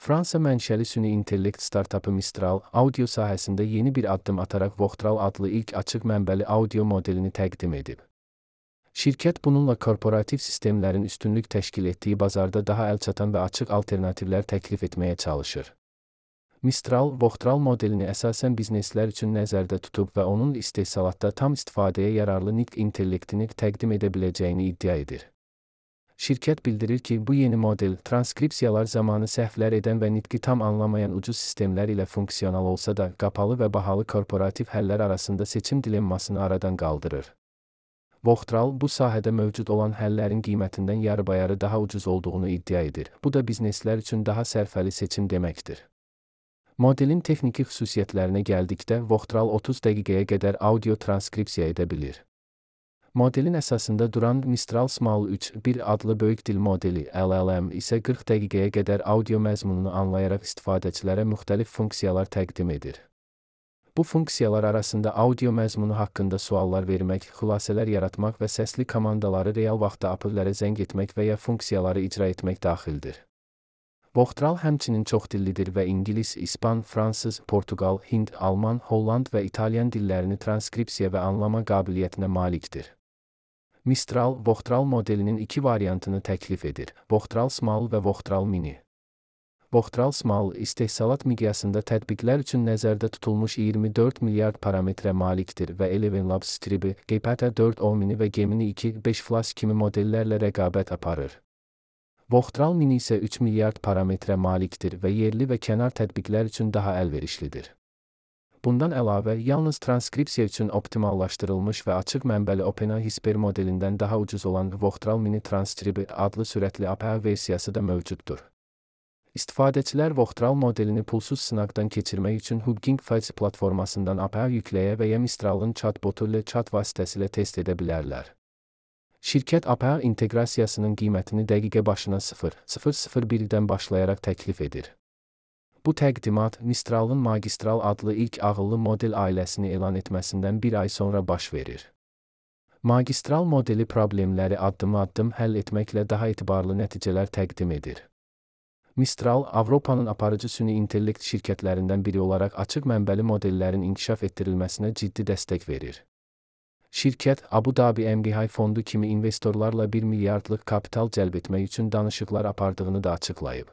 Fransa mənşəli süni intellekt startapı Mistral, audio sahəsində yeni bir addım ataraq Voxtral adlı ilk açıq mənbəli audio modelini təqdim edib. Şirkət bununla korporativ sistemlərin üstünlük təşkil etdiyi bazarda daha əlçatan və açıq alternativlər təklif etməyə çalışır. Mistral, Voxtral modelini əsasən bizneslər üçün nəzərdə tutub və onun istehsalatda tam istifadəyə yararlı nitq intellektini təqdim edə biləcəyini iddia edir. Şirkət bildirir ki, bu yeni model, transkripsiyalar zamanı səhvlər edən və nitqi tam anlamayan ucuz sistemlər ilə funksional olsa da, qapalı və bahalı korporativ həllər arasında seçim dilemmasını aradan qaldırır. Voxtral, bu sahədə mövcud olan həllərin qiymətindən yarı-bayarı daha ucuz olduğunu iddia edir. Bu da bizneslər üçün daha sərfəli seçim deməkdir. Modelin texniki xüsusiyyətlərinə gəldikdə, Voxtral 30 dəqiqəyə qədər audio transkripsiya edə bilir. Modelin əsasında duran Mistral Small 3.1 adlı böyük dil modeli LLM isə 40 dəqiqəyə qədər audio məzmununu anlayaraq istifadəçilərə müxtəlif funksiyalar təqdim edir. Bu funksiyalar arasında audio məzmunu haqqında suallar vermək, xülasələr yaratmaq və səsli komandaları real vaxtda apellərə zəng etmək və ya funksiyaları icra etmək daxildir. Voxtral həmçinin çoxdillidir və İngilis, İspan, Fransız, Portugal, Hind, Alman, Holland və İtalyan dillərini transkripsiya və anlama qabiliyyətinə malikdir. Mistral, Voxtral modelinin iki variantını təklif edir: Voxtral Small və Voxtral Mini. Voxtral Small, istehsalat miqyasında tətbiqlər üçün nəzərdə tutulmuş 24 milyard parametrə malikdir və Eleven Labs Stribi, GPT 4o Mini və Gemini 2.5 Flash kimi modellərlə rəqabət aparır. Voxtral Mini isə 3 milyard parametrə malikdir və yerli və kənar tətbiqlər üçün daha əlverişlidir. Bundan əlavə, yalnız transkripsiya üçün optimallaşdırılmış və açıq mənbəli OpenAI modelindən daha ucuz olan Voxtral Mini Transcribe adlı sürətli API versiyası da mövcuddur. İstifadəçilər Voxtral modelini pulsuz sınaqdan keçirmək üçün Hugging Face platformasından API yükləyə və ya Mistral'ın chatbotu ilə chat vasitəsilə test edə bilərlər. Şirkət API inteqrasiyasının qiymətini dəqiqə başına 0,001-dən başlayaraq təklif edir. Bu təqdimat, Mistral'ın Magistral adlı ilk ağıllı model ailəsini elan etməsindən bir ay sonra baş verir. Magistral modeli problemləri addım-addım həll etməklə daha etibarlı nəticələr təqdim edir. Mistral, Avropanın aparıcı süni intellekt şirkətlərindən biri olaraq açıq mənbəli modellərin inkişaf etdirilməsinə ciddi dəstək verir. Şirkət, Abu Dhabi MGI fondu kimi investorlarla 1 milyardlıq kapital cəlb etmək üçün danışıqlar apardığını da açıqlayıb.